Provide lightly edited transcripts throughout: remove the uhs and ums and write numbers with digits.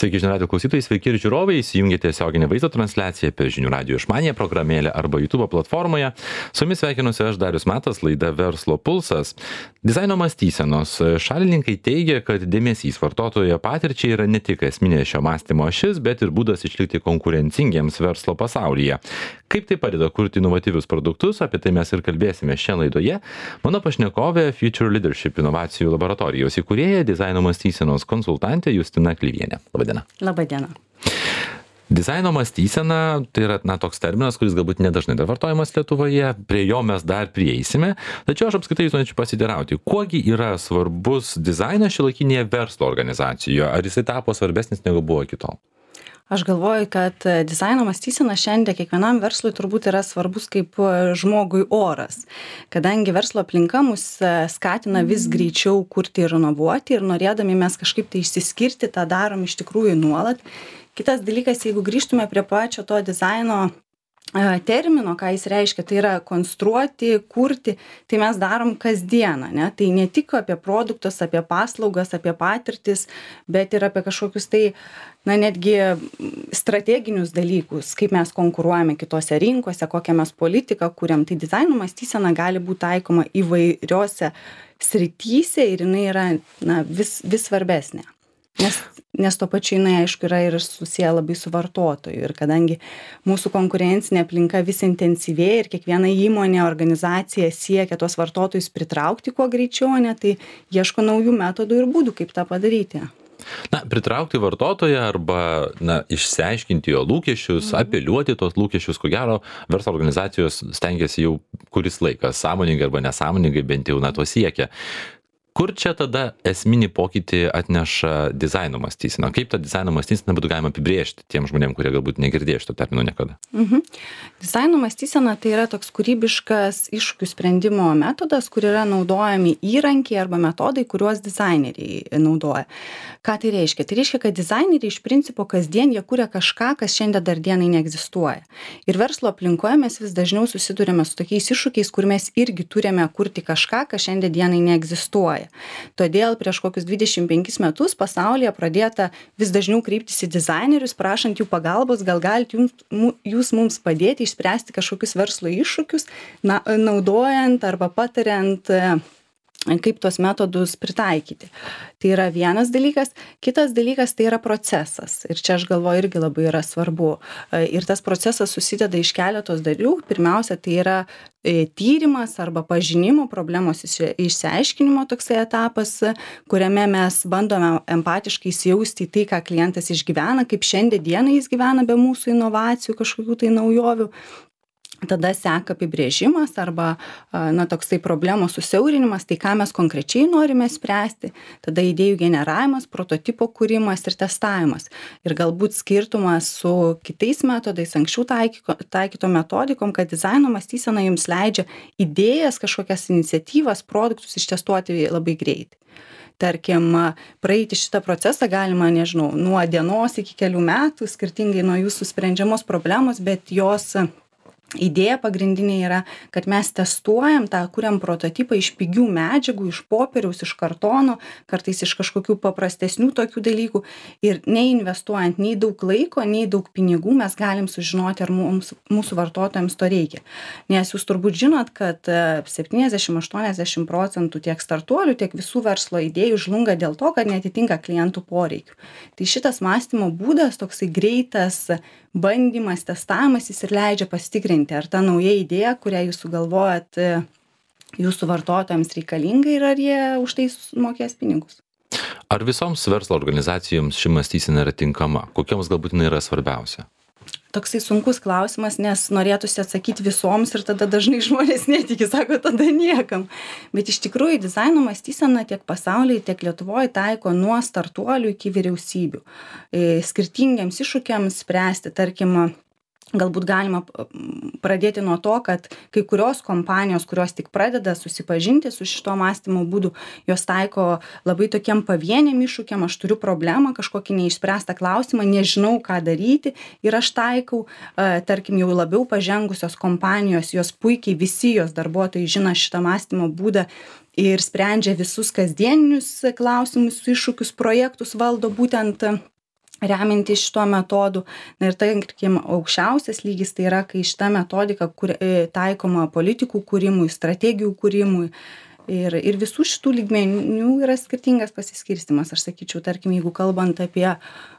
Sveiki žinių radijo klausytojai, sveiki ir žiūrovai, įsijungėte tiesioginę vaizdo transliaciją per žinių radijo išmaniąją programėlę arba YouTube platformoje. Su jumis sveikinuosi aš Darius Matas, laida Verslo pulsas. Dizaino mąstysenos šalininkai teigia, kad dėmesys vartotojo patirčiai yra ne tik esminė šio mąstymo ašis, bet ir būdas išlikti konkurencingiems verslo pasaulyje. Kaip tai padeda kurti inovatyvius produktus, apie tai mes ir kalbėsime šią laidoje. Mano pašnekovė Future Leadership inovacijų laboratorijos įkūrėja, dizaino mąstysenos konsultantė Justina Klyvienė. Labadiena. Labadiena. Dizaino mąstysena tai yra toks terminas, kuris galbūt nedažnai dar vartojamas Lietuvoje, prie jo mes dar prieisime, tačiau aš apskritai jūs norėčiau pasiteirauti, kuogi yra svarbus dizainas šiuolaikinėje verslo organizacijoje, ar jisai tapo svarbesnis negu buvo iki tol? Aš galvoju, kad dizaino mąstysena šiandien kiekvienam verslui turbūt yra svarbus kaip žmogui oras, kadangi verslo aplinka mus skatina vis greičiau kurti ir inovuoti ir norėdami mes kažkaip tai išsiskirti, tą darom iš tikrųjų nuolat. Kitas dalykas, jeigu grįžtume prie pačio to dizaino termino, ką jis reiškia, tai yra konstruoti, kurti, tai mes darom kasdieną, ne? Tai ne tik apie produktus, apie paslaugas, apie patirtis, bet ir apie kažkokius tai, netgi strateginius dalykus, kaip mes konkuruojame kitose rinkose, kokią mes politiką kuriam. Tai dizaino mąstysena gali būti taikoma įvairiose srityse ir jinai yra vis svarbesnė. Nes to pačiu jinai, aišku, yra ir susiję labai su vartotoju. Ir kadangi mūsų konkurencinė aplinka vis intensyvėja ir kiekviena įmonė, organizacija siekia tuos vartotojus pritraukti kuo greičiau, tai ieško naujų metodų ir būdų, kaip tą padaryti. Pritraukti vartotoją arba išsiaiškinti jo lūkesčius, apeliuoti tos lūkesčius, ko gero, verslo organizacijos stengiasi jau kuris laikas, sąmoningai arba nesąmoningai, bent jau to siekia. Kur čia tada esminį pokytį atneša dizaino mąstysena? Kaip tą dizaino mąstyseną būtų galima apibrėžti tiem žmonėm, kurie galbūt negirdėjo šito termino niekada? Dizaino mąstysena tai yra toks kūrybiškas iššūkių sprendimo metodas, kur yra naudojami įrankiai arba metodai, kuriuos dizaineriai naudoja. Ką tai reiškia? Tai reiškia, kad dizaineriai iš principo kasdien jie kuria kažką, kas šiandien dar dienai neegzistuoja. Ir verslo aplinkoje mes vis dažniau susidurime su tokiais iššūkiais, kur mes irgi turime kurti kažką, kas šiandien dienai neegzistuoja. Todėl prieš kokius 25 metus pasaulyje pradėta vis dažniau kreiptis į dizainerius, prašant jų pagalbos, gal galite jūs mums padėti išspręsti kažkokius verslo iššūkius, naudojant arba patariant, kaip tuos metodus pritaikyti. Tai yra vienas dalykas. Kitas dalykas tai yra procesas. Ir čia aš galvoju irgi labai yra svarbu. Ir tas procesas susideda iš keletos dalių. Pirmiausia, tai yra tyrimas arba pažinimo problemos išsiaiškinimo toksai etapas, kuriame mes bandome empatiškai įsijausti į tai, ką klientas išgyvena, kaip šiandien dieną jis gyvena be mūsų inovacijų, kažkokių tai naujovių. Tada seka apibrėžimas arba toksai problemos susiaurinimas, tai ką mes konkrečiai norime spręsti. Tada idėjų generavimas, prototipo kūrimas ir testavimas. Ir galbūt skirtumas su kitais metodais, anksčiau taikyto metodikom, kad dizaino mąstysena jums leidžia idėjas, kažkokias iniciatyvas, produktus ištestuoti labai greitai. Tarkim, praeiti šitą procesą galima, nuo dienos iki kelių metų, skirtingai nuo jūsų sprendžiamos problemos, bet jos idėja pagrindinė yra, kad mes testuojam kuriam prototipą iš pigių medžiagų, iš popieriaus, iš kartono, kartais iš kažkokių paprastesnių tokių dalykų ir neinvestuojant nei daug laiko, nei daug pinigų mes galim sužinoti, ar mūsų vartotojams to reikia. Nes jūs turbūt žinot, kad 70-80% tiek startuolių, tiek visų verslo idėjų žlunga dėl to, kad neatitinka klientų poreikių. Tai šitas mąstymo būdas, toksai greitas bandymas, testavimas, jis ir leidžia pasitikrinti, ar ta nauja idėja, kurią jūs sugalvojat, jūsų vartotojams reikalinga ir ar jie už tai mokės pinigus. Ar visoms verslo organizacijoms ši mąstysena yra tinkama? Kokioms galbūt jinai yra svarbiausia? Toksai sunkus klausimas, nes norėtųsi atsakyti visoms ir tada dažnai žmonės netiki, sako, tada niekam. Bet iš tikrųjų dizaino mąstysena tiek pasaulyje, tiek Lietuvoje taiko nuo startuolių iki vyriausybių. Skirtingiams iššūkiams spręsti, tarkim, galbūt galima pradėti nuo to, kad kai kurios kompanijos, kurios tik pradeda susipažinti su šito mąstymo būdu, jos taiko labai tokiem pavieniam iššūkiam, aš turiu problemą, kažkokį neišspręstą klausimą, nežinau, ką daryti ir aš taikau, tarkim, jau labiau pažengusios kompanijos, jos puikiai visi jos darbuotojai žino šitą mąstymo būdą ir sprendžia visus kasdieninius klausimus, iššūkius, projektus valdo būtent remiantis šituo metodu. Na ir tarkim, aukščiausias lygis tai yra, kai šita metodika taikoma politikų kūrimui, strategijų kūrimui. Ir visų šitų lygmenių yra skirtingas pasiskirstimas. Aš sakyčiau, tarkim, jeigu kalbant apie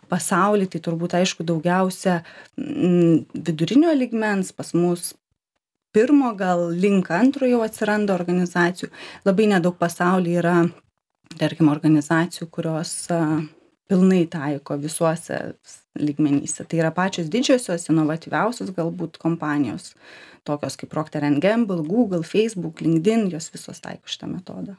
pasaulį, tai turbūt aišku daugiausia vidurinio lygmens, pas mus pirmo, gal link antro jau atsiranda organizacijų. Labai nedaug pasaulyje yra, tarkim, organizacijų, kurios pilnai taiko visuose lygmenyse. Tai yra pačios didžiosios, inovatyviausios galbūt kompanijos, tokios kaip Procter & Gamble, Google, Facebook, LinkedIn, jos visos taiko šitą metodą.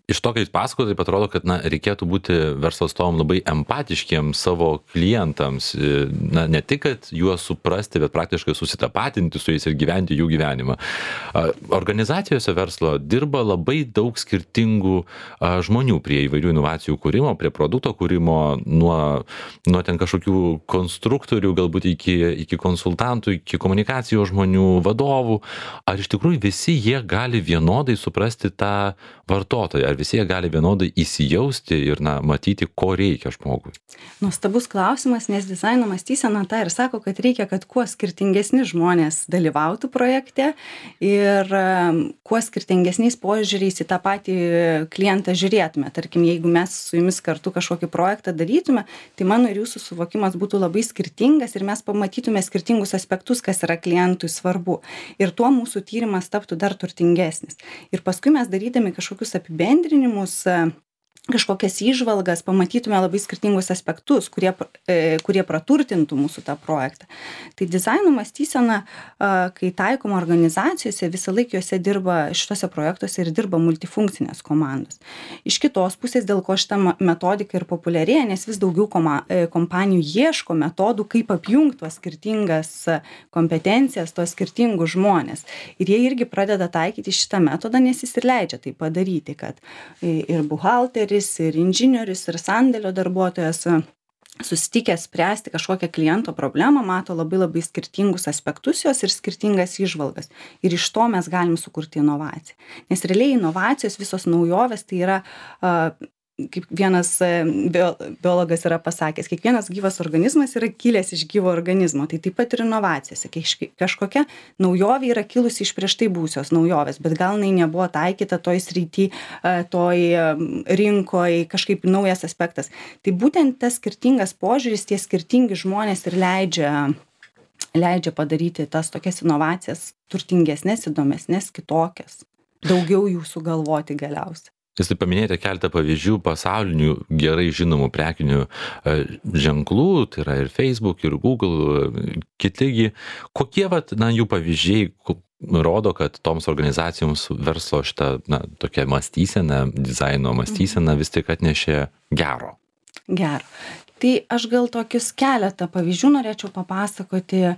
Iš to, kai jūs pasakote, taip atrodo, kad reikėtų būti verslo atstovam labai empatiškiem savo klientams. Ne tik, kad juos suprasti, bet praktiškai susitapatinti su jais ir gyventi jų gyvenimą. Organizacijose verslo dirba labai daug skirtingų žmonių prie įvairių inovacijų kūrimo, prie produkto kūrimo, nuo ten kažkokių konstruktorių, galbūt iki konsultantų, iki komunikacijos žmonių, vadovų. Ar iš tikrųjų visi jie gali vienodai suprasti tą vartotoją, ar visi jie gali vienodai įsijausti ir matyti, ko reikia žmogui? Nuostabus klausimas, nes dizaino mąstysena tą ir sako, kad reikia, kad kuo skirtingesni žmonės dalyvautų projekte ir kuo skirtingesniais požiūriais į tą patį klientą žiūrėtume. Tarkim, jeigu mes su jumis kartu kažkokį projektą darytume, tai mano ir jūsų suvokimas būtų labai skirtingas ir mes pamatytume skirtingus aspektus, kas yra klientui svarbu. Ir tuo mūsų tyrimas taptų dar turtingesnis. Ir paskui mes darydami kažkokius apibendrinimus, kažkokias įžvalgas, pamatytume labai skirtingus aspektus, kurie praturtintų mūsų tą projektą. Tai dizaino mąstysena, kai taikoma organizacijose, visą laiką juose dirba, šitose projektuose ir dirba multifunkcinės komandos. Iš kitos pusės, dėl ko šita metodika ir populiarėja, nes vis daugiau kompanijų ieško metodų, kaip apjungti tuos skirtingas kompetencijas, tuos skirtingus žmonės. Ir jie irgi pradeda taikyti šitą metodą, nes jis ir leidžia tai padaryti, kad ir buhalteris, ir inžinierius, ir sandėlio darbuotojas susitikęs spręsti kažkokią kliento problemą, mato labai labai skirtingus aspektus jos ir skirtingas įžvalgas. Ir iš to mes galim sukurti inovaciją. Nes realiai inovacijos, visos naujovės, tai yra, kaip vienas biologas yra pasakęs, kiekvienas gyvas organizmas yra kilęs iš gyvo organizmo. Tai taip pat ir inovacijose. Kažkokia naujovė yra kilusi iš prieš tai būsios naujovės, bet gal jinai nebuvo taikyta toj srity, toj rinkoje, kažkaip naujas aspektas. Tai būtent tas skirtingas požiūris, tie skirtingi žmonės ir leidžia padaryti tas tokias inovacijas turtingesnės, įdomesnės, kitokias. Daugiau jų sugalvoti galiausiai. Jūs taip paminėjote keletą pavyzdžių pasaulinių gerai žinomų prekinių ženklų, tai yra ir Facebook, ir Google, kitigi. Kokie jų pavyzdžiai rodo, kad toms organizacijoms verslo šitą tokią mąstyseną, dizaino mąstyseną vis tik atnešė gero? Gero. Tai aš gal tokius keletą pavyzdžių norėčiau papasakoti.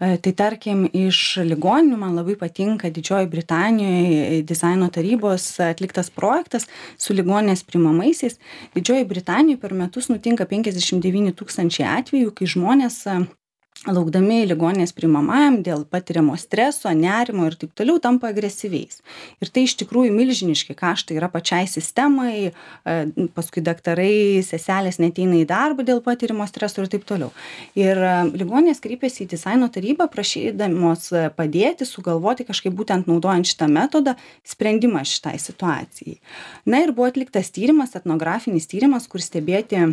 Tai tarkim, iš ligoninių man labai patinka Didžiojoje Britanijoje dizaino tarybos atliktas projektas su ligoninės priimamaisiais. Didžiojoje Britanijoje per metus nutinka 59 000 atvejų, kai žmonės laukdami ligoninės priimamajam dėl patiriamo streso, nerimo ir taip toliau tampa agresyviais. Ir tai iš tikrųjų milžiniški kaštai yra pačiai sistemai, paskui daktarai, seselės neateina į darbą dėl patirimo streso ir taip toliau. Ir ligoninės kreipėsi į dizaino tarybą, prašydamos padėti, sugalvoti kažkaip būtent naudojant šitą metodą sprendimą šitai situacijai. Na ir buvo atliktas tyrimas, etnografinis tyrimas, kur stebėti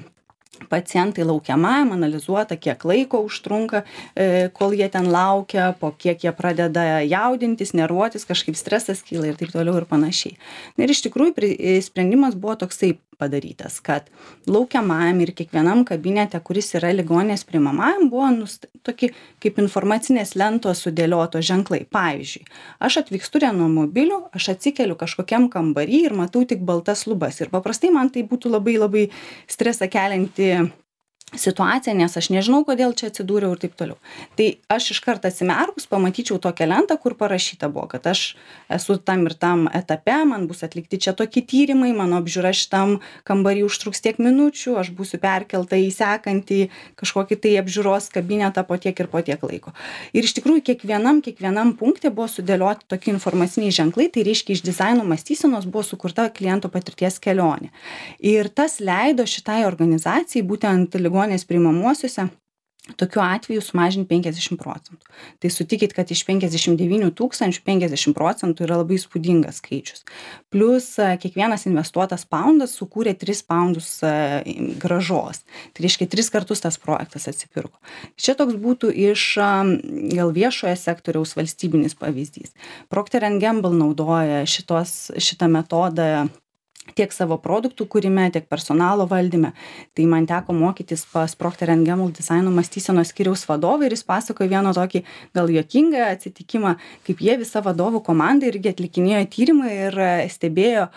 pacientai laukiamajam, analizuota, kiek laiko užtrunka, kol jie ten laukia, po kiek jie pradeda jaudintis, nervuotis, kažkaip stresas kyla ir taip toliau ir panašiai. Ir iš tikrųjų sprendimas buvo toksai padarytas, kad laukiamajam ir kiekvienam kabinete, kuris yra ligoninės priimamajam, buvo tokie kaip informacinės lentos sudėlioto ženklai. Pavyzdžiui, aš atvykstu reanomobiliu, aš atsikeliu kažkokiam kambarį ir matau tik baltas lubas. Ir paprastai man tai būtų labai labai stresą kelianti situacija, nes aš nežinau, kodėl čia atsidūriau ir taip toliau. Tai aš iš karto atsimerkus pamatyčiau tokią lentą, kur parašyta buvo, kad aš esu tam ir tam etape, man bus atlikti čia tokie tyrimai, mano apžiūra šitam kambarį užtruks tiek minučių, aš būsiu perkelta į sekantį kažkokį tai apžiūros kabinetą po tiek ir po tiek laiko. Ir iš tikrųjų kiekvienam punkte buvo sudėlioti tokie informaciniai ženklai, tai reiškia iš dizaino mąstysenos buvo sukurta kliento patirties kelionė. Ir tas leido šitai organizacijai, būtent ligoninės ligoninės priimamuosiuose tokiu atveju sumažint 50%. Tai sutikit, kad iš 59 tūkstančių 50% yra labai įspūdingas skaičius. Plius kiekvienas investuotas poundas sukūrė 3 poundus grąžos. Tai reiškia 3 kartus tas projektas atsipirko. Čia toks būtų iš gal viešojo sektoriaus valstybinis pavyzdys. Procter & Gamble naudoja šitą metodą tiek savo produktų kūrime, tiek personalo valdyme. Tai man teko mokytis pas Procter & Gamble dizaino mąstysenos skyriaus vadovą ir jis pasakojo vieną tokį gal juokingą atsitikimą, kaip jie visa vadovų komanda irgi atlikinėjo tyrimą ir stebėjo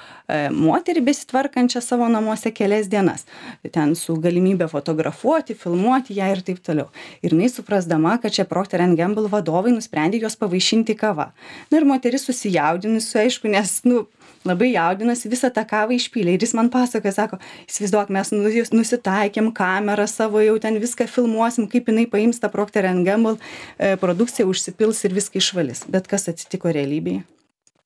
moterį besitvarkančią savo namuose kelias dienas. Ten su galimybė fotografuoti, filmuoti ją ir taip toliau. Ir jinai suprasdama, kad čia Procter & Gamble vadovai nusprendė juos pavaišinti kava. Na ir moteris susijaudinusi, aišku, nes, labai jaudinosi, visą tą kavą išpylė. Ir jis man pasakoja, sako, įsivaizduok, mes nusitaikėm kamerą savo, jau ten viską filmuosim, kaip jinai paims tą Procter & Gamble produkciją, užsipils ir viską išvalys. Bet kas atsitiko realybėje?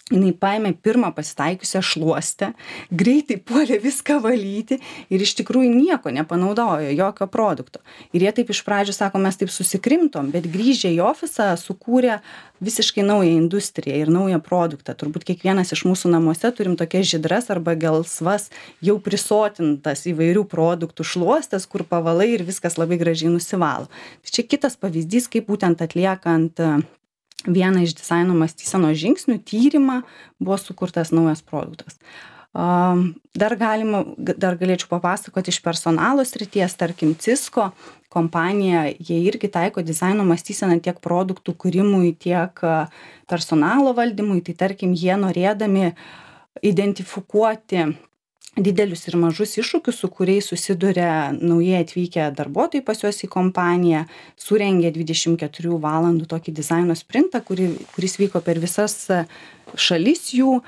Jinai paėmė pirmą pasitaikiusią šluostę, greitai puolė viską valyti ir iš tikrųjų nieko nepanaudojo, jokio produkto. Ir jie taip iš pradžių sako, mes taip susikrimtom, bet grįžę į ofisą sukūrė visiškai naują industriją ir naują produktą. Turbūt kiekvienas iš mūsų namuose turim tokias žydras arba gelsvas, jau prisotintas įvairių produktų šluostas, kur pavalai ir viskas labai gražiai nusivalo. Tai čia kitas pavyzdys, kaip būtent atliekant vieną iš dizaino mąstysenos žingsnių, tyrimą, buvo sukurtas naujas produktas. Dar galėčiau papasakoti iš personalo srities, tarkim Cisco kompanija, jie irgi taiko dizaino mąstyseną tiek produktų kūrimui, tiek personalo valdymui, tai tarkim jie norėdami identifikuoti didelius ir mažus iššūkius, su kuriais susiduria naujai atvykę darbuotojai pas juos į kompaniją, surengė 24 valandų tokį dizaino sprintą, kuris vyko per visas šalis jų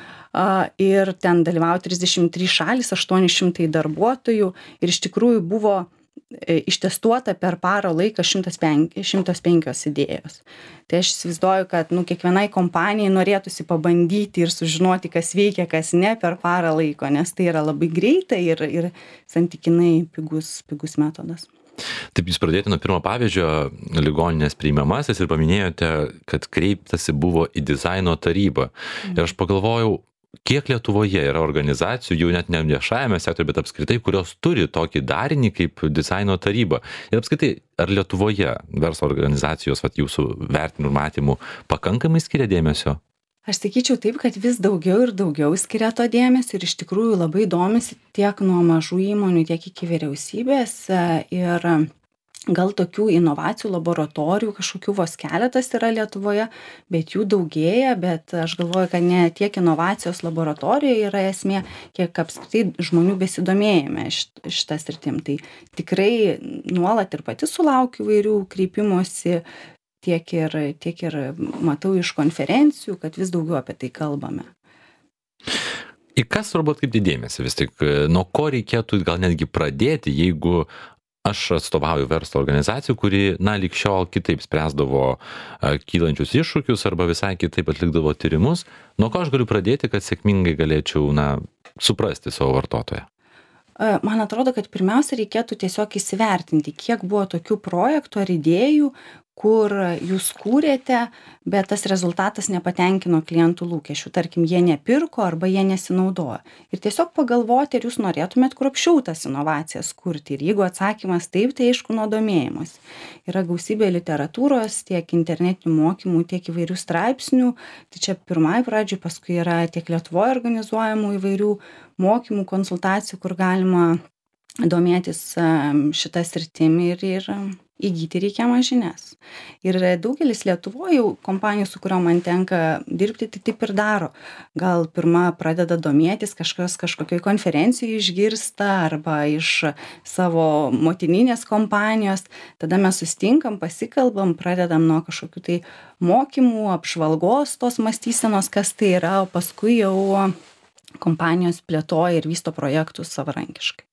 ir ten dalyvavo 33 šalis, 800 darbuotojų ir iš tikrųjų buvo ištestuota per parą laiką 105 idėjos. Tai aš įsivaizduoju, kad kiekvienai kompanijai norėtųsi pabandyti ir sužinoti, kas veikia, kas ne per parą laiko, nes tai yra labai greita ir santykinai pigus metodas. Taip, jūs pradėjote nuo pirmo pavyzdžio, ligoninės priimamasis ir paminėjote, kad kreiptasi buvo į dizaino tarybą. Ir aš pagalvojau, kiek Lietuvoje yra organizacijų, jau net ne viešajame sektoriuje, bet apskritai, kurios turi tokį darinį kaip dizaino taryba. Ir apskritai, ar Lietuvoje verslo organizacijos, jūsų vertinimų matymų, pakankamai skiria dėmesio? Aš sakyčiau taip, kad vis daugiau ir daugiau skiria to dėmesio ir iš tikrųjų labai domisi tiek nuo mažų įmonių, tiek iki vyriausybės ir gal tokių inovacijų laboratorijų kažkokių vos keletas yra Lietuvoje, bet jų daugėja, bet aš galvoju, kad ne tiek inovacijos laboratorijoje yra esmė, kiek apskritai žmonių besidomėjime šitą sritim. Tai tikrai nuolat ir pati sulaukiu įvairių kreipimosi, tiek ir matau iš konferencijų, kad vis daugiau apie tai kalbame. Į kas svarbu atkreipti dėmesį vis tik, nuo ko reikėtų gal netgi pradėti, jeigu aš atstovauju verslo organizacijų, kuri, lyg šiol kitaip spręsdavo kylančius iššūkius arba visai kitaip atlikdavo tyrimus, nuo ko aš galiu pradėti, kad sėkmingai galėčiau, suprasti savo vartotoją? Man atrodo, kad pirmiausia reikėtų tiesiog įsivertinti, kiek buvo tokių projektų ar idėjų, kur jūs kūrėte, bet tas rezultatas nepatenkino klientų lūkesčių. Tarkim, jie nepirko arba jie nesinaudojo. Ir tiesiog pagalvoti, ar jūs norėtumėt kruopščiau tas inovacijas kurti. Ir jeigu atsakymas taip, tai aišku nuo domėjimas. Yra gausybė literatūros, tiek internetinių mokymų, tiek įvairių straipsnių. Tai čia pirmai pradžiai, paskui yra tiek Lietuvoje organizuojamų įvairių mokymų, konsultacijų, kur galima domėtis šitą sritimi ir įgyti reikiamas žinias. Ir daugelis Lietuvoje jau kompanijų, su kuriuo man tenka dirbti, tai taip ir daro. Gal pirma pradeda domėtis, kažkokioj konferencijoje išgirsta arba iš savo motininės kompanijos. Tada mes susitinkam, pasikalbam, pradedam nuo kažkokių tai mokymų, apžvalgos tos mąstysenos, kas tai yra, o paskui jau kompanijos plėtoja ir vysto projektus savarankiškai.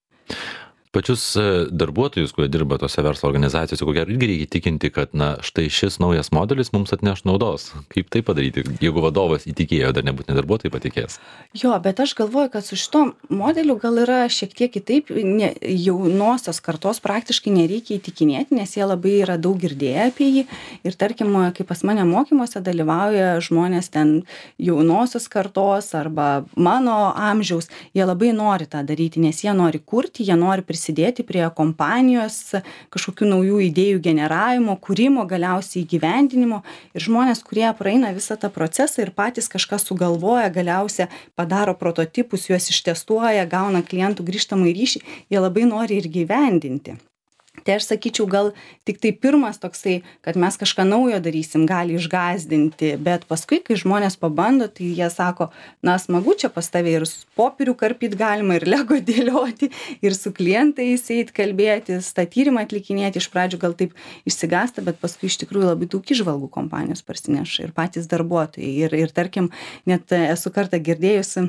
Pačius darbuotojus, kurie dirba tose verslo organizacijose, ko gero irgi reikia įtikinti, kad na štai šis naujas modelis mums atneš naudos. Kaip tai padaryti, jeigu vadovas įtikėjo, dar nebūtinai darbuotojai patikės? Jo, bet aš galvoju, kad su šito modeliu gal yra šiek tiek kitaip, jaunosios kartos praktiškai nereikia įtikinėti, nes jie labai yra daug girdėję apie jį. Ir tarkim, kai pas mane mokymuose dalyvauja žmonės ten jaunosios kartos arba mano amžiaus, jie labai nori tą daryti, nes jie nori kurti, jie nori prisidėti prie kompanijos kažkokių naujų idėjų generavimo, kūrimo, galiausiai įgyvendinimo. Ir žmonės, kurie praeina visą tą procesą ir patys kažką sugalvoja, galiausiai padaro prototipus, juos ištestuoja, gauna klientų grįžtamąjį ryšį, jie labai nori ir gyvendinti. Tai aš sakyčiau, gal tik tai pirmas toksai, kad mes kažką naujo darysim, gali išgąsdinti, bet paskui, kai žmonės pabando, tai jie sako, na, smagu čia pas tave ir popierių karpyti galima, ir lego dėlioti, ir su klientais eit kalbėtis, tą tyrimą atlikinėti. Iš pradžių gal taip išsigąsta, bet paskui iš tikrųjų labai daug įžvalgų kompanijos parsineša ir patys darbuotojai. Ir tarkim, net esu kartą girdėjusi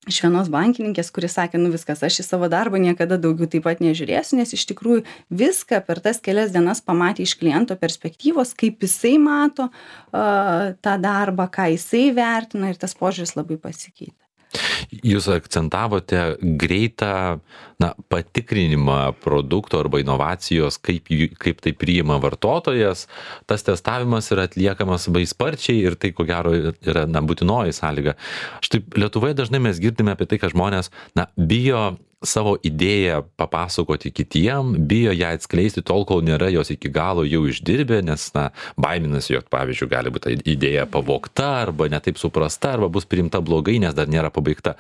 iš vienos bankininkės, kuris sakė, nu viskas, aš į savo darbą niekada daugiau taip pat nežiūrėsiu, nes iš tikrųjų viską per tas kelias dienas pamatė iš kliento perspektyvos, kaip jisai mato tą darbą, ką jisai vertina, ir tas požiūris labai pasikeitė. Jūs akcentavote greitą patikrinimą produkto arba inovacijos, kaip tai priima vartotojas. Tas testavimas yra atliekamas labai sparčiai ir tai, ko gero, yra būtinoji sąlyga. Štai Lietuvoje dažnai mes girdime apie tai, kad žmonės bijo savo idėją papasakoti kitiem, bijo ją atskleisti tol, kol nėra jos iki galo jau išdirbę, nes baiminasi, jog, pavyzdžiui, gali būti idėja pavogta arba netaip suprasta, arba bus priimta blogai, nes dar nėra pabaigta.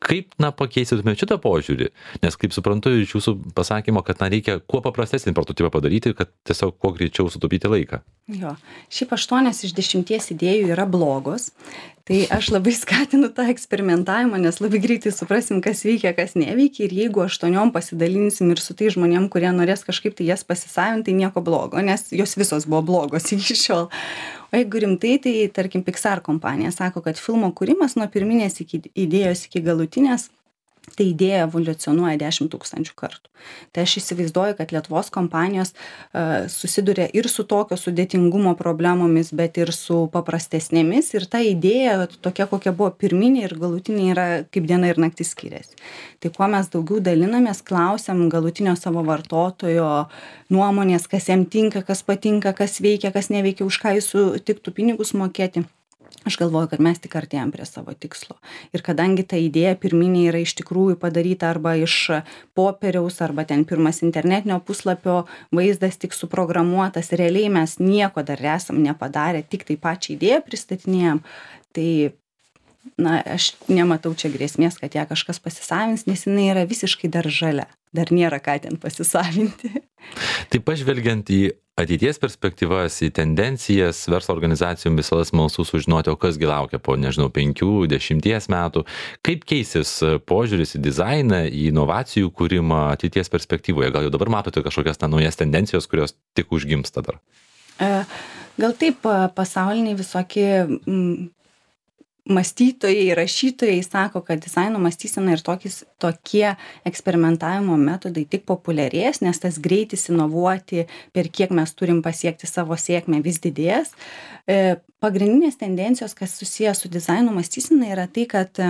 Kaip pakeisytumėte šitą požiūrį? Nes kaip suprantu iš jūsų pasakymo, kad reikia kuo paprastesnį prototipą padaryti, kad tiesiog kuo greičiau sutaupyti laiką. Jo, šiaip 8 iš 10 idėjų yra blogos. Tai aš labai skatinu tą eksperimentavimą, nes labai greitai suprasim, kas veikia, kas neveikia. Ir jeigu 8 pasidalinsim ir su tai žmonėm, kurie norės kažkaip tai jas pasisavinti, tai nieko blogo, nes jos visos buvo blogos iki šiol. O jeigu rimtai, tai tarkim Pixar kompanija sako, kad filmo kūrimas nuo pirminės idėjos iki galutinės, tai idėja evoliucionuoja 10 000 kartų. Tai aš įsivaizduoju, kad Lietuvos kompanijos susiduria ir su tokio sudėtingumo problemomis, bet ir su paprastesnėmis. Ir ta idėja, tokia kokia buvo pirminė ir galutinė, yra kaip diena ir naktis skiriasi. Tai kuo mes daugiau dalinamės, klausiam galutinio savo vartotojo nuomonės, kas jam tinka, kas patinka, kas veikia, kas neveikia, už ką jis sutiktų pinigus mokėti. Aš galvoju, kad mes tik artėjam prie savo tikslo. Ir kadangi ta idėja pirminė yra iš tikrųjų padaryta arba iš popieriaus, arba ten pirmas internetinio puslapio vaizdas tik suprogramuotas, realiai mes nieko dar esam nepadarę, tik tai pačią idėją pristatinėjom, tai aš nematau čia grėsmės, kad ją kažkas pasisavins, nes jinai yra visiškai dar žalia. Dar nėra ką ten pasisavinti. Taip pažvelgiant į ateities perspektyvas, į tendencijas, verslo organizacijom visada smalsu sužinoti, o kas gi laukia po, 5-10 metų. Kaip keisis požiūris į dizainą, į inovacijų kūrimą ateities perspektyvoje? Gal jau dabar matote kažkokias naujas tendencijos, kurios tik užgimsta dar? Gal taip, pasauliniai visokie mąstytojai, rašytojai sako, kad dizaino mąstysena ir tokie eksperimentavimo metodai tik populiarės, nes tas greitis inovuoti, per kiek mes turim pasiekti savo sėkmę, vis didės. Pagrindinės tendencijos, kas susijęs su dizaino mąstysena, yra tai, kad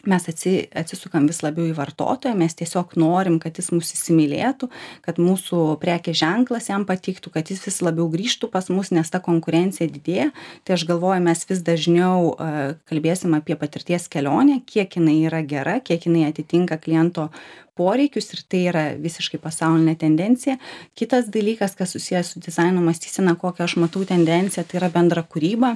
mes atsisukam vis labiau į vartotoją, mes tiesiog norim, kad jis mus įsimylėtų, kad mūsų prekės ženklas jam patiktų, kad jis vis labiau grįžtų pas mus, nes ta konkurencija didėja. Tai aš galvoju, mes vis dažniau kalbėsim apie patirties kelionę, kiek jinai yra gera, kiek jinai atitinka kliento poreikius, ir tai yra visiškai pasaulinė tendencija. Kitas dalykas, kas susijęs su dizaino mąstysena, kokią aš matau tendenciją, tai yra bendra kūryba.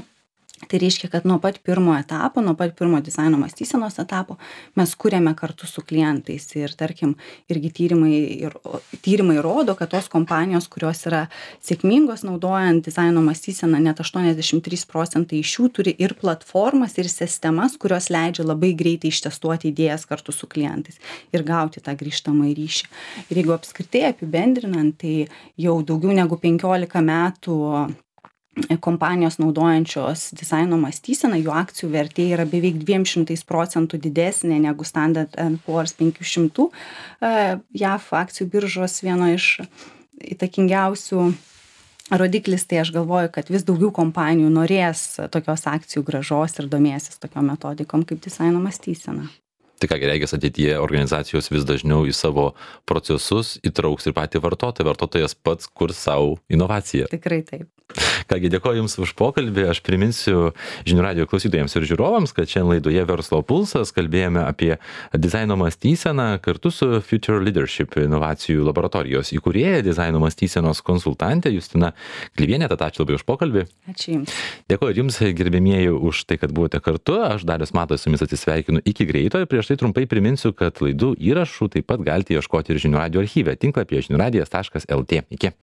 Tai reiškia, kad nuo pat pirmo etapo, nuo pat pirmo dizaino mąstysenos etapo mes kuriame kartu su klientais. Ir tarkim, irgi tyrimai rodo, kad tos kompanijos, kurios yra sėkmingos naudojant dizaino mąstyseną, net 83% iš jų turi ir platformas, ir sistemas, kurios leidžia labai greitai ištestuoti idėjas kartu su klientais ir gauti tą grįžtamąjį ryšį. Ir jeigu apskritai apibendrinant, tai jau daugiau negu 15 metų kompanijos naudojančios dizaino mąstyseną, jų akcijų vertė yra beveik 200% didesnė negu Standard & Poor's 500 JAV akcijų biržos vieno iš įtakingiausių rodiklis, tai aš galvoju, kad vis daugiau kompanijų norės tokios akcijų grąžos ir domėsis tokiom metodikom kaip dizaino mąstysena. Tai ką reikia, ateityje organizacijos vis dažniau į savo procesus įtrauks ir patį vartotoją. Vartotojas pats kurs savo inovaciją. Tikrai taip. Kągi, dėkoju Jums už pokalbį. Aš priminsiu žinių radijo klausytojams ir žiūrovams, kad šiandien laidoje Verslo pulsas kalbėjome apie dizaino mąstyseną kartu su Future Leadership inovacijų laboratorijos įkūrėja, dizaino mąstysenos konsultantė Justina Klivienė. Tad ačiū labai už pokalbį. Ačiū Jums. Dėkoju Jums, gerbėmieji, už tai, kad buvote kartu. Aš Darius Matas su Jumis atsisveikinu iki greito. Prieš tai trumpai priminsiu, kad laidų įrašų taip pat galite ieškoti ir žinių radijo archyve tinklapyje žiniųradijas.lt. Iki.